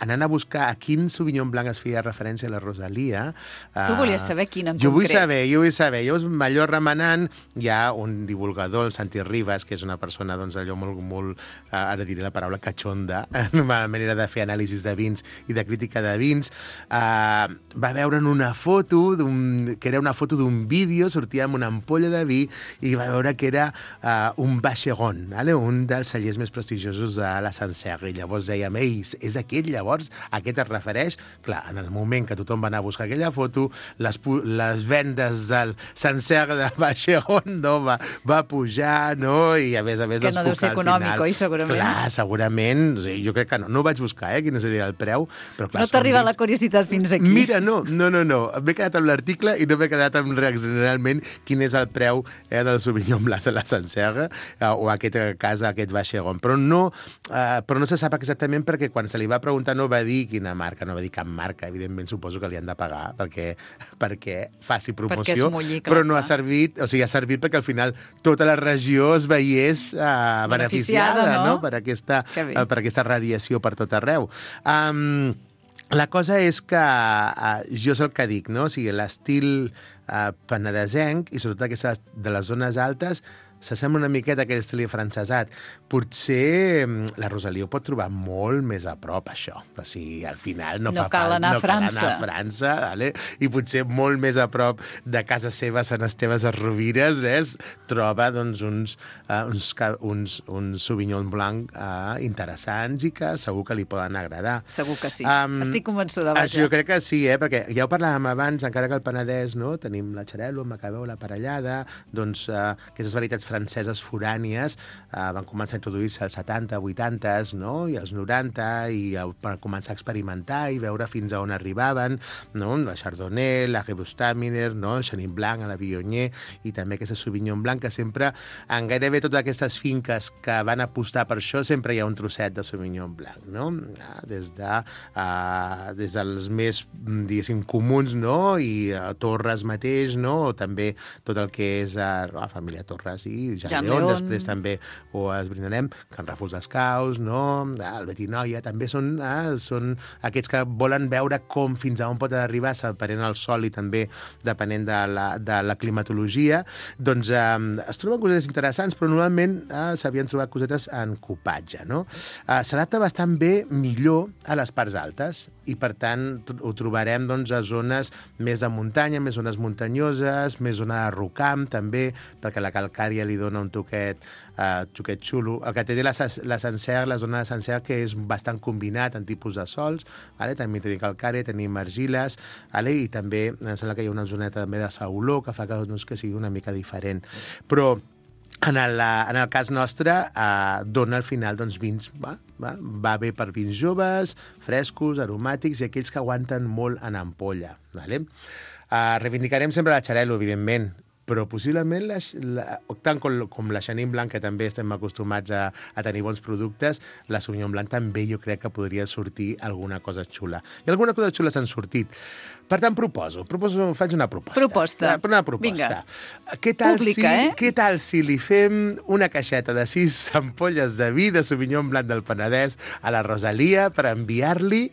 anant a buscar a quin Sauvignon Blanc es feia referència a la Rosalia... Tu volies saber quin en jo concret. Jo vull saber. Llavors, allò remenant, hi ha un divulgador, el Santi Ribas, que és una persona, doncs, allò molt ara diré la paraula cachonda, una manera de fer anàlisis de vins i de crítica de vins, va veure'n una foto, que era una foto d'un vídeo, sortia amb una ampolla de vi, i va veure que era un Vacheron, un dels cellers més prestigiosos de la Sancerre. I llavors dèiem, ei, és aquest, llavors, a què es refereix? Clar, en el moment que tothom va anar a buscar aquella foto, les vendes del Sancerre de Vacheron va pujar, no? I a més que no deu ser econòmic, oi, segurament? Clar, segurament. Jo crec que no. No vaig buscar, quin seria el preu, però clar... No t'arriba la curiositat fins aquí. Mira, no. M'he quedat amb l'article i no m'he quedat amb realment quin és el preu del Sauvignon Blanc de la Sancerre o aquest cas, aquest Vacheron. Però no se sap exactament perquè quan se li va preguntar no va dir quina marca, no va dir cap marca. Evidentment, suposo que li han de pagar perquè faci promoció, però no ha servit, o sigui, ha servit perquè al final tota la regió es veiés beneficiada, no? per aquesta radiació per tot arreu. La cosa és que jo és el que dic, no? O sigui, l'estil penedesenc, i sobretot aquesta de les zones altes, s'assembla una miqueta a aquell estil francesat. Potser la Rosalia ho pot trobar molt més a prop, això. O sigui, al final no cal anar a França, vale? I potser molt més a prop de casa seva, Sant Esteve de Rovires, troba doncs, uns Sauvignon Blanc interessants i que segur que li poden agradar. Segur que sí. Estic convençuda. Jo crec que sí, perquè ja ho parlàvem abans, encara que al Penedès tenim la Xarel·lo, el Macabeu, la Parellada, doncs aquestes varietats franceses forànies van començar a introduir-se als 70, 80, no? I als 90, i per començar a experimentar i veure fins a on arribaven, no? La Chardonnay, la Gewürztraminer, no? El Chenin Blanc, la Viognier, i també aquesta Sauvignon Blanc, que sempre, en gairebé totes aquestes finques que van apostar per això, sempre hi ha un trosset de Sauvignon Blanc, no? Des dels més, diguéssim, comuns, no? I Torres mateix, no? O també tot el que és la família Torres i Jean León, després també ho esbrinarem, Can Ràfols d'Escaus, no? El Betinoia, també són aquests que volen veure com fins a on pot arribar, depenent del sol i també depenent de la climatologia. Doncs es troben cosetes interessants, però normalment s'havien trobat cosetes en copatge, no? S'adapta bastant bé, millor, a les parts altes, i per tant ho trobarem doncs, a zones més de muntanya, més zones muntanyoses, més zona de rocam també, perquè la calcària li dona un toquet xulo. El que té la Sancerre, la zona de Sancerre, que és bastant combinat en tipus de sols, també tenim calcària, tenim argiles, i també em sembla que hi ha una zoneta també de sauló que fa que sigui una mica diferent. Però en el cas nostre, dona al final vins, va bé per vins joves, frescos, aromàtics i aquells que aguanten molt en ampolla. Reivindicarem sempre la Xarel·lo, evidentment, però possiblement, tant com la Chenin Blanc, que també estem acostumats a tenir bons productes, la Sauvignon Blanc també jo crec que podria sortir alguna cosa xula. I alguna cosa xula s'han sortit. Per tant, faig una proposta. Una proposta. Vinga. Què tal si li fem una caixeta de 6 ampolles de vi de Sauvignon Blanc del Penedès a la Rosalia per enviar-li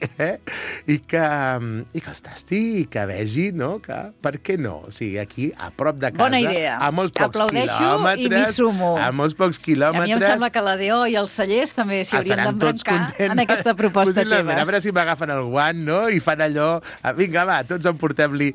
i que els tasti i que vegi, no? Que, per què no? O sigui, aquí, a prop de casa, bona idea. A molts pocs quilòmetres. I m'hi sumo. A molts pocs quilòmetres. A mi em sembla que la DO i els cellers també s'hi haurien d'embrancar en aquesta proposta teva. A veure si m'agafen el guant, no? I fan allò... Vinga, va, tots emportem-li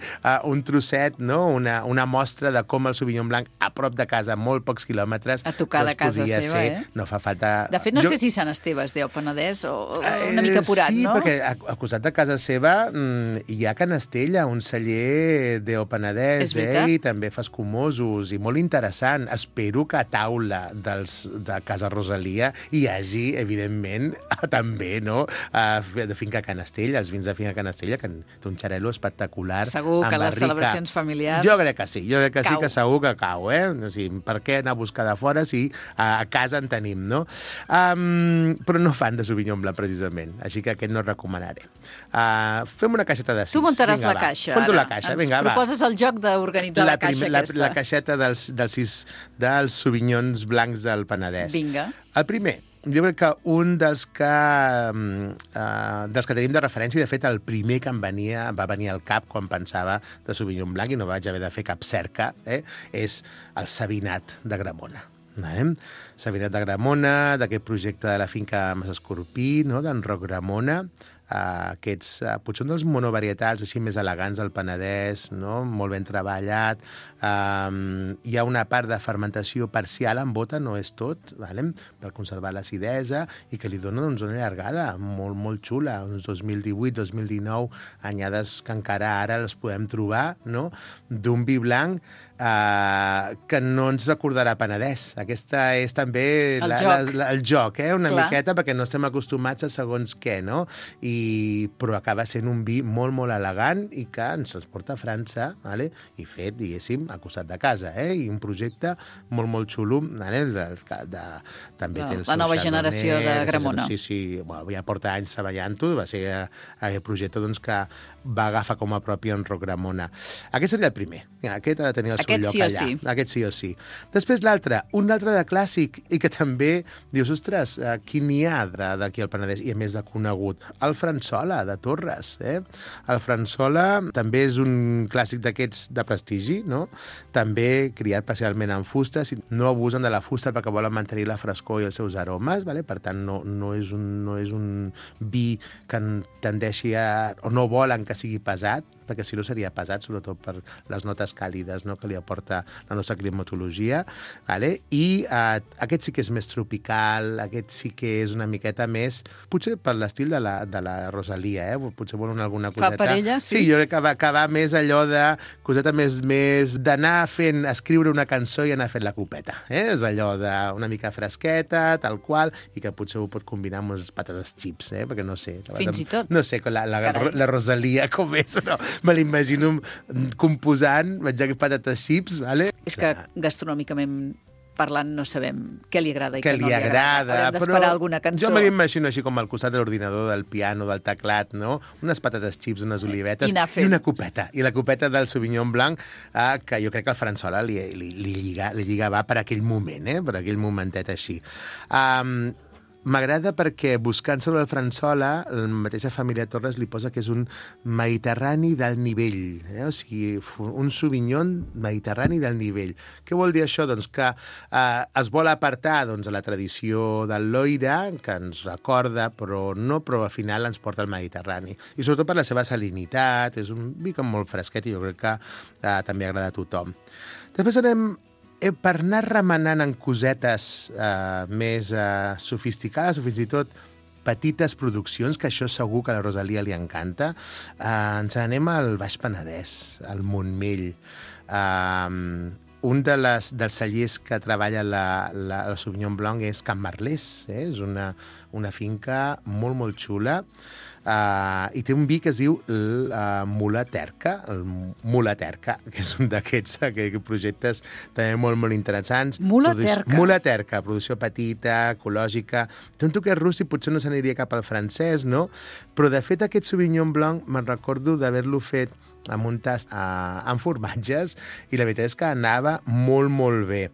un trosset, no? Una mostra de com el Sauvignon Blanc a prop de casa, a molt pocs quilòmetres, a tocar de casa seva, No fa falta... De fet, no sé si Sant Esteve es diu Penedès o una mica apurat, no? Sí, perquè al costat de casa seva hi ha Can Estella, un celler d'O Penedès, i també fa escumosos, i molt interessant. Espero que a taula de Casa Rosalia hi hagi, evidentment, també, no?, de Finca Can Estella, els vins de Finca Can Estella, que té un xarel·lo espectacular. Segur que les celebracions familiars... Jo crec que sí, que segur que cau, O sigui, per què anar a buscar de fora si a casa en tenim, no? Però no fan de Sauvignon Blanc, precisament, així que aquest no recomanaré. Fem una caixeta de 6. Tu muntaràs la caixa, ara. La caixa. Vinga, ens proposes el joc d'organitzar la caixa aquesta. La caixeta dels Sauvignons Blancs del Penedès. Vinga. El primer, jo crec que un dels que tenim de referència, de fet, el primer que va venir al cap quan pensava de Sauvignon Blanc, i no vaig haver de fer cap cerca, és el Sabinat d'Agramona. Sabinat d'Agramona, d'aquest projecte de la finca Mas Escorpí, no? d'en Roc Gramona, aquests, potser un dels monovarietals així més elegants del Penedès, no? Molt ben treballat. Hi ha una part de fermentació parcial en bota, no és tot, per conservar l'acidesa, i que li dona una llargada molt, molt xula, uns 2018-2019, anyades que encara ara les podem trobar, no? D'un vi blanc que no ens recordarà Penedès. Aquesta és també el joc, una miqueta, perquè no estem acostumats a segons què, no? Però acaba sent un vi molt, molt elegant i que ens transporta a França, i fet, diguéssim, al costat de casa, i un projecte molt, molt xulo. També té el seu la nova generació de Gramona. Sí, ja porta anys treballant-ho, va ser aquest projecte que va agafar com a propi en Roc Gramona. Aquest seria el primer. Aquest ha de tenir el seu lloc allà. Sí. Aquest sí o sí. Després l'altre, un altre de clàssic, i que també dius, ostres, quin n'hi ha d'aquí al Penedès, i a més de conegut? El Fransola, de Torres. El Fransola també és un clàssic d'aquests de prestigi, no? També criat parcialment en fusta, no abusen de la fusta perquè volen mantenir la frescor i els seus aromes, per tant, no és un vi que tendeixi o no volen que sigui pesat, perquè si no seria pesat, sobretot per les notes càlides, no?, que li aporta la nostra climatologia. I aquest sí que és més tropical, aquest sí que és una miqueta més, potser per l'estil de la Rosalia, potser volen alguna coseta. Fa per ella, sí? Sí, jo crec que va més allò de coseta més d'anar escriure una cançó i anar fent la copeta. És allò d'una mica fresqueta, tal qual, i que potser ho pot combinar amb unes patates chips, perquè no sé. Fins i tot. No sé, la Rosalia com és, però me l'imagino composant, menjant patates chips, És que gastronòmicament parlant no sabem què li agrada i què no li agrada. Haurem d'esperar alguna cançó. Jo me l'imagino així com al costat de l'ordinador, del piano, del teclat, no? Unes patates chips, unes olivetes i una copeta. I la copeta del Sauvignon Blanc, que jo crec que el Fransola li lliga va per aquell moment, per aquell momentet així. M'agrada perquè, buscant sobre el Fransola, la mateixa família Torres li posa que és un mediterrani d'alt nivell, o sigui, un Sauvignon mediterrani d'alt nivell. Què vol dir això? Doncs que es vol apartar a la tradició del Loira, que ens recorda, però al final ens porta al Mediterrani. I sobretot per la seva salinitat, és un vi molt fresquet i jo crec que també agrada a tothom. Després anem per anar remenant en cosetes més sofisticades o fins i tot petites produccions, que això segur que a la Rosalia li encanta, ens n'anem al Baix Penedès, al Montmell. Un dels cellers que treballa el Sauvignon Blanc és Can Marlès, és una finca molt, molt xula, i té un vi que es diu Mula Terca, que és un d'aquests projectes també molt, molt interessants. Mula Terca. Mula Terca, producció petita, ecològica. Té un toquet rústic, potser no s'aniria cap al francès, no? Però, de fet, aquest Sauvignon Blanc me'n recordo d'haver-lo fet amb un tast amb formatges, i la veritat és que anava molt, molt bé.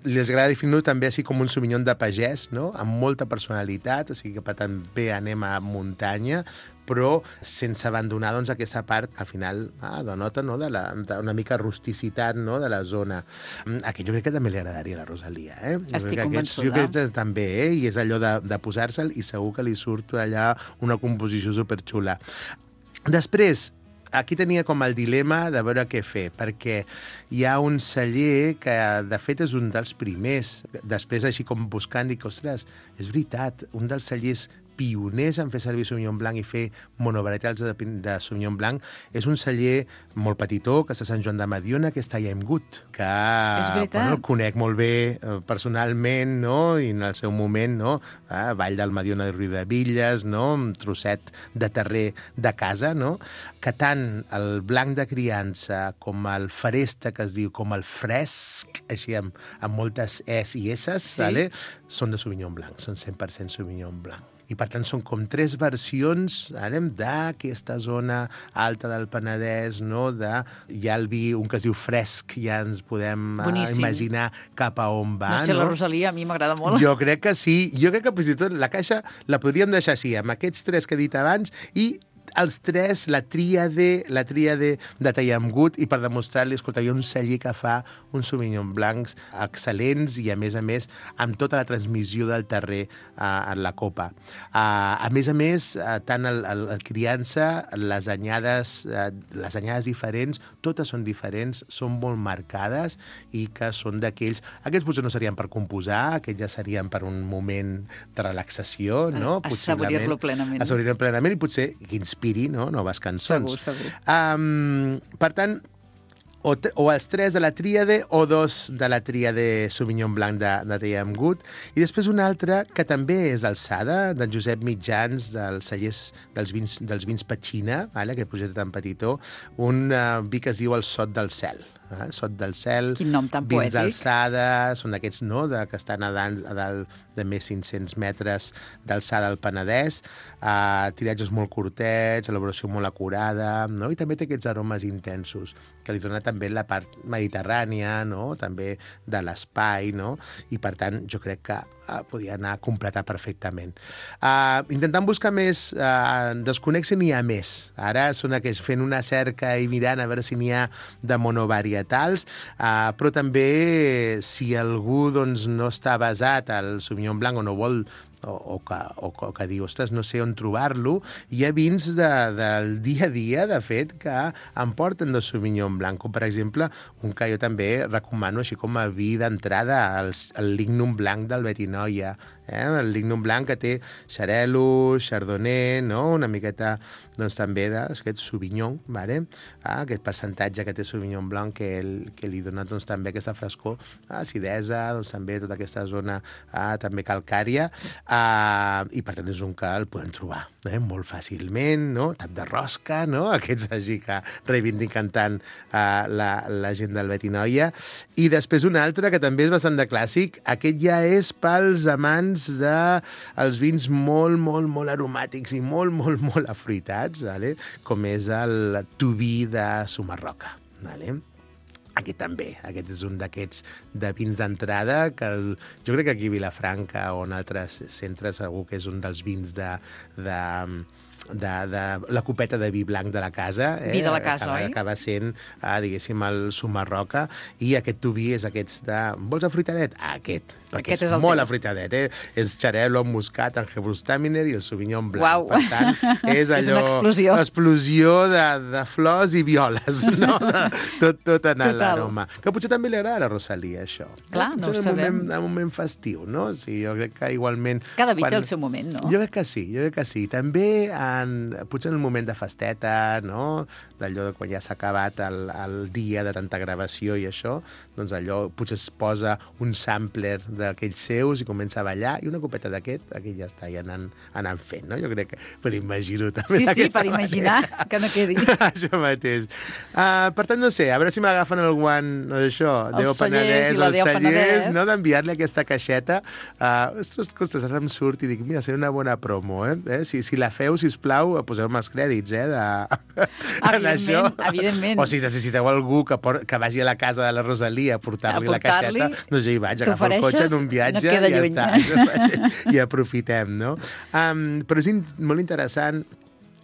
Les agrada definir-ho també així com un Sauvignon de pagès, no? Amb molta personalitat, o sigui que també anem a muntanya, però sense abandonar aquesta part, al final, denota d'una mica rusticitat, no?, de la zona. Aquest jo crec que també li agradaria a la Rosalia. Estic convençuda. Jo crec que també, i és allò de posar-se'l, i segur que li surt allà una composició superxula. Després, aquí tenia com el dilema de veure què fer, perquè hi ha un celler que, de fet, és un dels primers. Després, així com buscant, dic, ostres, és veritat, un dels cellers pioners en fer servir Sauvignon Blanc i fer monovarietals de Sauvignon Blanc és un celler molt petitó, que està a Sant Joan de Mediona, que està a Aimgut, que el conec molt bé personalment, no?, i en el seu moment, no?, Vall del Mediona de Riudevilles, no?, un trosset de terrer de casa, no?, que tant el blanc de criança com el feresta, que es diu, com el fresc, així amb moltes es i esses, són de Sauvignon Blanc, són 100% Sauvignon Blanc. I, per tant, són com 3 versions d'aquesta zona alta del Penedès, no? Hi ha el vi, un que es diu fresc, ja ens podem imaginar cap a on va. No sé, la Rosalia a mi m'agrada molt. Jo crec que sí. Jo crec que fins i tot la caixa la podríem deixar així, amb aquests 3 que he dit abans, i els 3, la tríade de Tallamgut, i per demostrar-li, escolta, hi ha un celler que fa uns Sauvignon Blancs excel·lents i, a més, amb tota la transmissió del terrer en la copa. A més, tant el criança, les anyades diferents, totes són diferents, són molt marcades i que són d'aquells... Aquests potser no serien per composar, aquests ja serien per un moment de relaxació, no? Assaborir-lo plenament. Assaborir-lo plenament i potser que inspiri, no? Noves cançons. Segur. Per tant, o els 3 de la tríade o 2 de la tríade Sauvignon Blanc de Tallamgut. I després un altre que també és d'alçada, d'en Josep Mitjans, dels cellers dels vins Petxina, aquest projecte tan petitó, un vi que es diu el Sot del Cel. Sot del Cel, quin nom tan poètic. Vins d'alçada, són aquests, no?, que estan a dalt de més 500 metres d'alçada al Penedès, tiratges molt curtets, elaboració molt acurada, no? I també té aquests aromes intensos, que li dona també la part mediterrània, no?, també de l'espai, no? I, per tant, jo crec que podia anar a completar perfectament. Intentant buscar més, desconnexe n'hi ha més. Ara són aquells fent una cerca i mirant a veure si n'hi ha de monovarietals, però també si algú doncs, no està basat al Sauvignon Blanc o no vol o que diu, ostres, no sé on trobar-lo, hi ha vins del dia a dia, de fet, que em porten de Sauvignon Blanc, com per exemple un que jo també recomano així com a vi d'entrada, el Lignum Blanc del Betinoia. El Lignum Blanc que té xarel·lo, chardonnay, no? Una miqueta doncs, també d'aquest Sauvignon, vale? Aquest percentatge que té Sauvignon Blanc que li dona doncs, també aquesta frescor, acidesa, doncs, també tota aquesta zona també calcària, i per tant és un que el podem trobar molt fàcilment, no? Tap de rosca, no? Aquests així que reivindiquen tant la gent del Betinoia. I després un altre que també és bastant de clàssic, aquest ja és pels amants dels vins molt, molt, molt aromàtics i molt, molt, molt afruitats, vale? Com és el Tubí de Sumarroca. Vale? Aquest també, aquest és un d'aquests de vins d'entrada que jo crec que aquí a Vilafranca o en altres centres segur que és un dels vins de la copeta de vi blanc de la casa. Vi de la casa, oi? Acaba sent, diguéssim, el Sumarroca, i aquest Tubí és aquests de... Vols afruitadet? Aquest, perquè aquest és molt afruitadet, És xarel·lo amb muscat, angebrustaminer i el Sauvignon Blanc. Uau. Per tant, és allò... És una explosió de flors i violes, no? Tot en l'aroma. Que potser també li agrada a la Rosalia, això. Clar, no ho sabem. En un moment festiu, no? Sí, jo crec que igualment... Cada vi té el seu moment, no? Jo crec que sí. També potser en el moment de festeta, no? D'allò de quan ja s'ha acabat el dia de tanta gravació i això, doncs allò potser es posa un sampler d'aquells seus i comença a ballar, i una copeta d'aquest ja està anant fent, no? Jo crec que per imaginar-ho també. Sí, per imaginar, que no quedi. Això mateix. Per tant, no sé, a veure si m'agafen el guant, no, això, Déu Penedès, els cellers, no? D'enviar-li aquesta caixeta. Ostres, ara em surt i dic, mira, serà una bona promo, Si la feu, sisplau, poseu-me els crèdits, Evidentment. O si necessiteu algú que vagi a la casa de la Rosalia a portar-li la caixeta, doncs jo hi vaig, agafo el cotxe en un viatge i ja està. I aprofitem, no? Però és molt interessant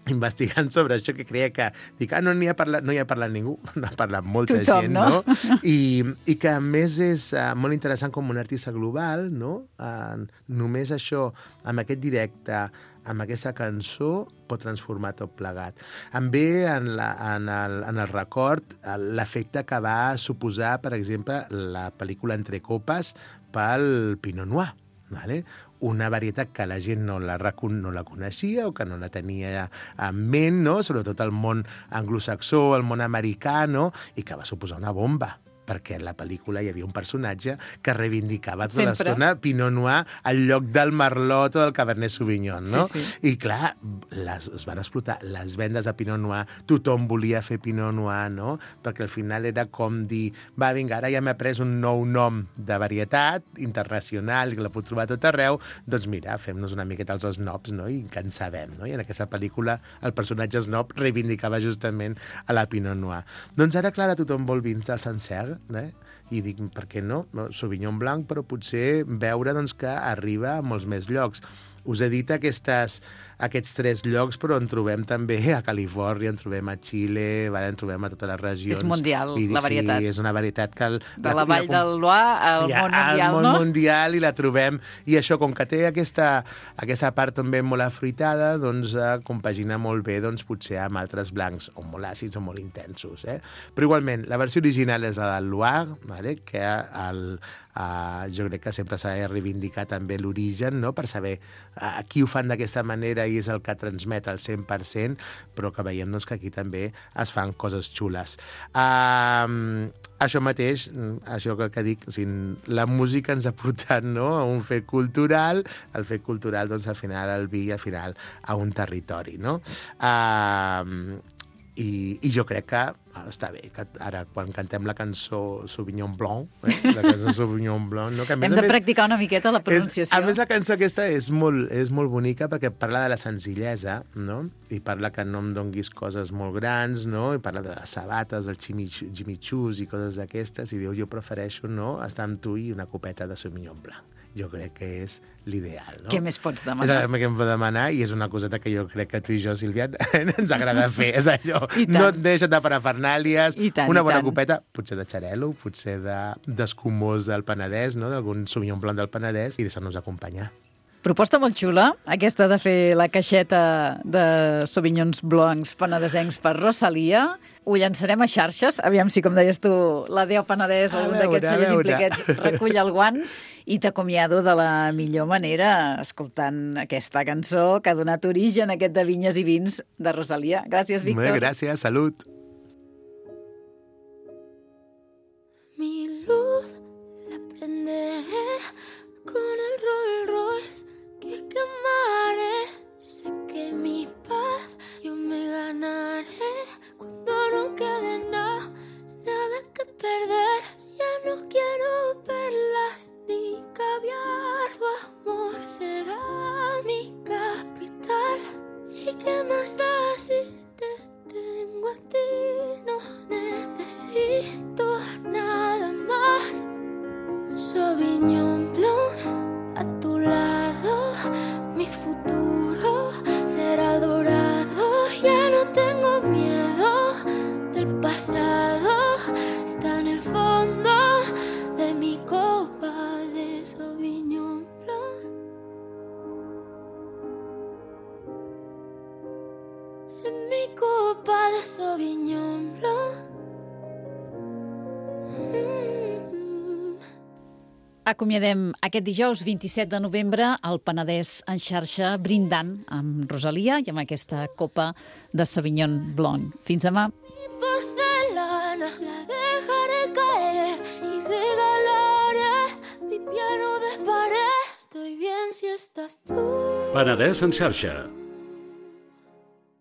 investigant sobre això, que creia que no hi ha parlat ningú, no ha parlat molta gent, no? I que a més és molt interessant com un artista global, no? Només això, amb aquest directe, amb aquesta cançó, pot transformar tot plegat. Em ve en el record l'efecte que va suposar, per exemple, la pel·lícula Entre copes pel Pinot Noir, vale? Una varietat que la gent no la coneixia o que no la tenia en ment, no? Sobretot el món anglosaxó, el món americà, no? I que va suposar una bomba. perquè en la pel·lícula hi havia un personatge que reivindicava tota Sempre. l'estona Pinot Noir al lloc del Merlot o del Cabernet Sauvignon, no? Sí. I clar, es van explotar les vendes de Pinot Noir, tothom volia fer Pinot Noir, no? Perquè al final era com dir, va, vinga, ara ja m'he pres un nou nom de varietat internacional, que la puc trobar a tot arreu, doncs mira, fem-nos una miqueta els snobs, no? I que en sabem, no? I en aquesta pel·lícula el personatge snob reivindicava justament a la Pinot Noir. Doncs ara, clar, tothom vol vins del Sancerre, i dic, per què no? Sauvignon Blanc, però potser veure doncs, que arriba a molts més llocs. Us he dit aquests 3 llocs, però en trobem també a Califòrnia, en trobem a Xile, en trobem a totes les regions. És mundial, la varietat. Sí, és una varietat que... De la Vall del Loire al món mundial, al món no? mundial, i la trobem. I això, com que té aquesta part també molt afruitada, doncs compagina molt bé, doncs, potser amb altres blancs, o molt àcids o molt intensos. Però igualment, la versió original és la del Loire, vale? Que jo crec que sempre s'ha de reivindicar també l'origen, no? Per saber qui ho fan d'aquesta manera i és el que transmet al 100%, però que veiem doncs, que aquí també es fan coses xules. Això mateix, això que dic, o sigui, la música ens ha portat, no?, a un fet cultural, el fet cultural, doncs, al final, al vi i al final a un territori, no? I jo crec que està bé, que ara quan cantem la cançó Sauvignon Blanc, la cançó Sauvignon Blanc, no? Que Hem de practicar una miqueta la pronunciació. A més, la cançó aquesta és molt bonica perquè parla de la senzillesa, no? I parla que no em donguis coses molt grans, no? I parla de les sabates, del chimichurri i coses d'aquestes, i diu, jo prefereixo, no?, estar amb tu i una copeta de Sauvignon Blanc. Jo crec que és l'ideal, no? Què més pots demanar? És el que em pot demanar i és una coseta que jo crec que tu i jo, Sílvia, ens agrada fer. És allò, no et deixes de parafernàlies, una bona copeta, potser de xarel·lo, potser d'escumós del Penedès, no?, d'algun Sauvignon Blanc del Penedès, i deixar-nos acompanyar. Proposta molt xula, aquesta de fer la caixeta de Sauvignons Blancs penedesencs per Rosalia. Ho llançarem a xarxes, aviam si, com deies tu, la Déu Penedès o un d'aquests cellers impliquets recull el guant, i t'acomiado de la millor manera escoltant aquesta cançó que ha donat origen a aquest de Vinyes i Vins de Rosalia. Gràcies, Víctor. Molt bé, gràcies, salut. Mi luz la prenderé con el Rolls Royce que quemaré. Sé que mi paz yo me ganaré cuando no quede nada que perder. Ya no quiero perlas ni caviar, tu amor será mi capital. ¿Y qué más da si te tengo a ti? No necesito nada más. Sauvignon Blanc a tu lado, mi futuro será dorado. Ya no tengo miedo del pasado, está en el fondo de mi copa de Sauvignon Blanc. En mi copa de Sauvignon Blanc. Acomiadem aquest dijous 27 de novembre al Penedès en xarxa, brindant amb Rosalia i amb aquesta copa de Sauvignon Blanc. Fins demà. Porcelana, la dejaré caer y regalaré mi piano de pared. Estoy bien si estás tú. Penedès en xarxa,